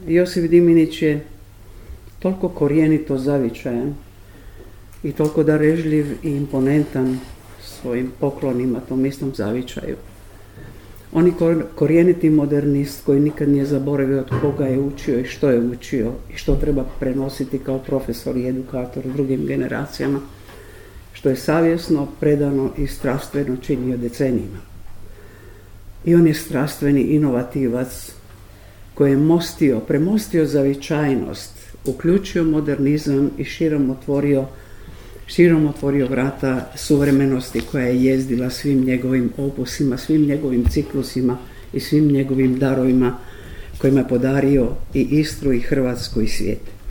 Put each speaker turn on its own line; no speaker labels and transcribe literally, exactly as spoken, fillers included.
Josip Diminić je toliko korijenito zavičajan i toliko darežljiv i imponentan svojim poklonima tom istom zavičaju. On je korijeniti modernist koji nikad nije zaboravio od koga je učio i što je učio i što treba prenositi kao profesor i edukator drugim generacijama, što je savjesno, predano i strastveno činio decenijima. I on je strastveni inovativac koji je mostio, premostio zavičajnost, uključio modernizam i širom otvorio, širom otvorio vrata suvremenosti koja je jezdila svim njegovim opusima, svim njegovim ciklusima i svim njegovim darovima kojima je podario i Istru i Hrvatsku i svijet.